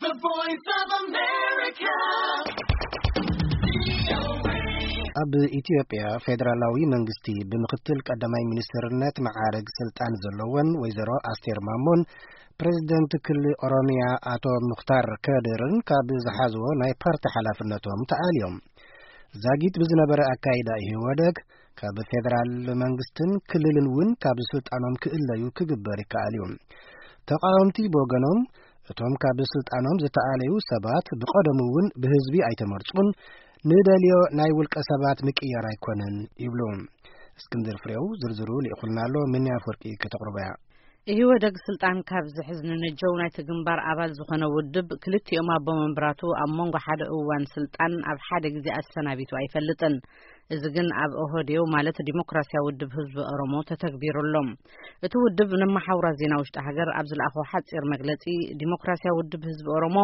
The Voice of America. ኣብ ኢትዮጵያ ፌዴራላዊ መንግስቲ ብምክትል ቀዳማይ ሚኒስትርነት መዓረግ ስልጣን ዘለወን ወይዘሮ ኣስቴር ማሞን ፕሬዝደንት ክልል ኦሮሚያ ኣቶ ሙኽታር ከድርን ካብ ዝሓዝዎ ናይ ፓርቲ ሓላፍነቶም ተኣልዮም። ዛጊት ብዝነበረ ኣካይዳ ኢህወደግ ካብ ፌዴራል መንግስትን ክልልን እውን ካብ ስልጣኖም ክእለዩ ክግበር ይከኣል እዩ። ተቃወምቲ ብወገኖም እቶም ካብ ስልጣኖም ዝተኣለዩ ሰባት ብቐደሙ እውን ብህዝቢ ኣይተመርጹን፣ ንደልዮ ናይ ውልቀ ሰባት ምቅያር ኣይኮነን ይብሉ። እስክንድር ፍሬው ዝርዝሩ ልኢኹልና ኣሎ፣ ምንያ ኣፈወርቂ ከተቕርቦ እያ። ኢህወደግ ስልጣን ካብ ዝሕዝ ንነጀው ናይቲ ግንባር ኣባል ዝኾነ ውድብ ክልቲኦም ኣቦ መንበራቱ ኣብ መንጎ ሓደ እዋን ስልጣን ኣብ ሓደ ግዜ ኣሰናቢቱ ኣይፈልጥን። እዚ ግን ኣብ ኦህዴው ማለት ዲሞክራሲያዊ ውድብ ህዝቢ ኦሮሞ ተተግቢሩ ኣሎ። እቲ ውድብ ንመሓውራት ዜና ውሽጢ ሃገር ኣብ ዝለኣኾ ሓጺር መግለጺ፣ ዲሞክራሲያዊ ውድብ ህዝቢ ኦሮሞ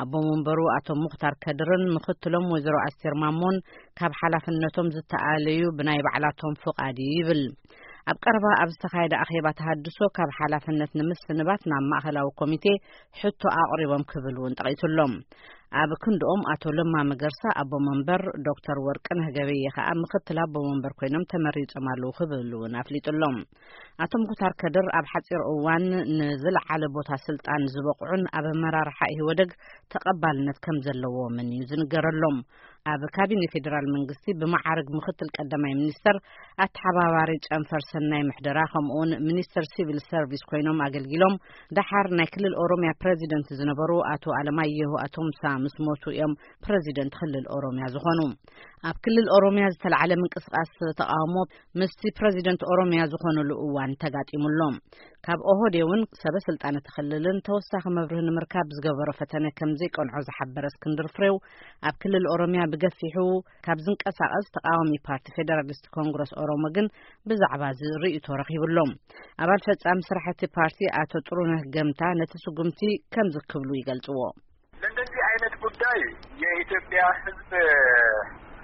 ኣቦ መንበሩ ኣቶ ሙኽታር ከድርን ምኽትሎም ወይዘሮ ኣስቴር ማሞን ካብ ሓላፍነቶም ዝተኣለዩ ብናይ ባዕላቶም ፍቓድ እዩ ይብል። ኣብ ቀረባ ኣብ ዝተኻየደ ኣኼባ ተሃድሶ ካብ ሓላፍነት ንምስንባት ናብ ማእኸላዊ ኮሚቴ ሕቶ ኣቕሪቦም ክብል እውን ጠቒሱሎም። ኣብ ክንድኦም ኣቶ ለማ መገርሳ ኣቦ መንበር፣ ዶክተር ወርቅነህ ገበየ ከኣ ምኽትል ኣቦ መንበር ኮይኖም ተመሪጾም ኣለዉ ክብል እውን ኣፍሊጡሎም። ኣቶ ሙኽታር ከድር ኣብ ሓጺር እዋን ንዝለዓለ ቦታ ስልጣን ዝበቕዑን ኣብ ኣመራርሓ ኢህወደግ ተቐባልነት ከም ዘለዎምን እዩ ዝንገረሎም። ኣብ ካቢኔ ፌዴራል መንግስቲ ብመዓርግ ምኽትል ቀዳማይ ሚኒስተር፣ ኣተሓባባሪ ጨንፈር ሰናይ ምሕደራ፣ ከምኡውን ሚኒስተር ሲቪል ሰርቪስ ኮይኖም ኣገልጊሎም። ደሓር ናይ ክልል ኦሮሚያ ፕረዚደንት ዝነበሩ ኣቶ ኣለማየሁ ኣቶምሳ ምስ ሞቱ እዮም ፕረዚደንት ክልል ኦሮሚያ ዝኾኑ። ኣብ ክልል ኦሮሚያ ዝተላዕለ ምንቅስቃስ ተቃውሞ ምስቲ ፕረዚደንት ኦሮሚያ ዝኾኑሉ እዋን ተጋጢሙሎም። ካብ ኦህዴ እውን ሰበ ስልጣን እቲ ክልልን ተወሳኺ መብርሂ ንምርካብ ዝገበሮ ፈተነ ከም ዘይቀንዖ ዝሓበረ እስክንድር ፍሬው፣ ኣብ ክልል ኦሮሚያ ብገፊሑ ካብ ዝንቀሳቐስ ተቃዋሚ ፓርቲ ፌደራሊስት ኮንግረስ ኦሮሞ ግን ብዛዕባ እዚ ርእይቶ ረኺቡሎም። ኣባል ፈጻሚ ስራሕ እቲ ፓርቲ ኣቶ ጥሩነህ ገምታ ነቲ ስጉምቲ ከምዚ ክብሉ ይገልጽዎ። ለእንደዚህ አይነት ጉዳይ የኢትዮጵያ ሕዝብ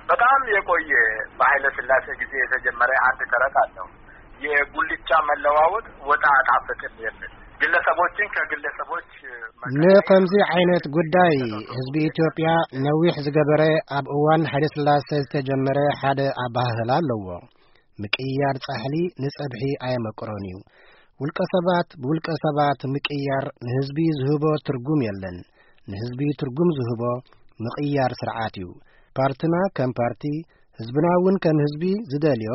በጣም የቆየ፣ በኃይለ ሥላሴ ጊዜ የተጀመረ አንድ ተረት አለው። የጉልቻ መለዋወጥ ወጥ አያጣፍጥም የሚል፣ ግለሰቦችን ከግለሰቦች ንኸምዚ ዓይነት ጉዳይ ህዝቢ ኢትዮጵያ ነዊሕ ዝገበረ፣ ኣብ እዋን ኃይለ ሥላሴ ዝተጀመረ ሓደ ኣባህህላ ኣለዎ። ምቅያር ጻሕሊ ንጸብሒ ኣየመቅሮን እዩ። ውልቀ ሰባት ብውልቀ ሰባት ምቅያር ንህዝቢ ዝህቦ ትርጉም የለን። ንህዝቢ ትርጉም ዝህቦ ምቅያር ስርዓት እዩ። ፓርትና ከም ፓርቲ፣ ህዝብና እውን ከም ህዝቢ ዝደልዮ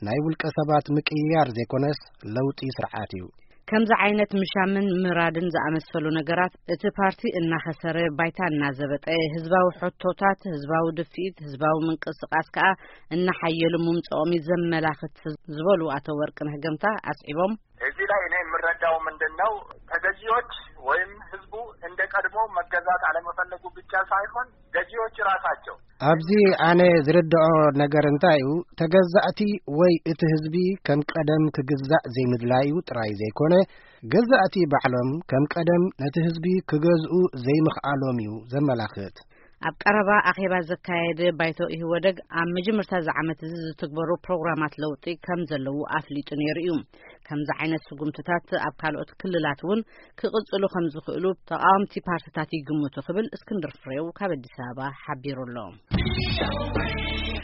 ናይ ውልቀ ሰባት ምቅያር ዘይኮነስ ለውጢ ስርዓት እዩ። ከምዚ ዓይነት ምሻምን ምራድን ዝኣመሰሉ ነገራት እቲ ፓርቲ እናኸሰረ፣ ባይታ እናዘበጠ፣ ህዝባዊ ሕቶታት፣ ህዝባዊ ድፍኢት፣ ህዝባዊ ምንቅስቃስ ከኣ እናሓየሉ ምምጽኦም እዩ ዘመላኽት ዝበሉ ኣቶ ወርቅነህ ገምታ ኣስዒቦም፣ እዚህ ላይ እኔ የምረዳው ምንድን ነው፣ ተገዢዎች ወይም ህዝቡ እንደ ቀድሞ መገዛት አለመፈለጉ ብቻ ሳይሆን ገዢዎች ራሳቸው ኣብዚ ኣነ ዝርድኦ ነገር እንታይ እዩ፣ ተገዛእቲ ወይ እቲ ህዝቢ ከም ቀደም ክግዛእ ዘይምድላዩ ጥራይ ዘይኮነ፣ ገዛእቲ ባዕሎም ከም ቀደም ነቲ ህዝቢ ክገዝኡ ዘይምኽኣሎም እዩ ዘመላኽት። ኣብ ቀረባ ኣኼባ ዘካየደ ባይቶ ኢህወደግ ኣብ መጀመርታ እዚ ዓመት እዚ ዝትግበሩ ፕሮግራማት ለውጢ ከም ዘለዉ ኣፍሊጡ ነይሩ እዩ። ከምዚ ዓይነት ስጉምትታት ኣብ ካልኦት ክልላት እውን ክቕጽሉ ከም ዝኽእሉ ተቓወምቲ ፓርትታት ይግምቱ ክብል እስክንድር ፍሬው ካብ ኣዲስ ኣበባ ሓቢሩ ኣሎ።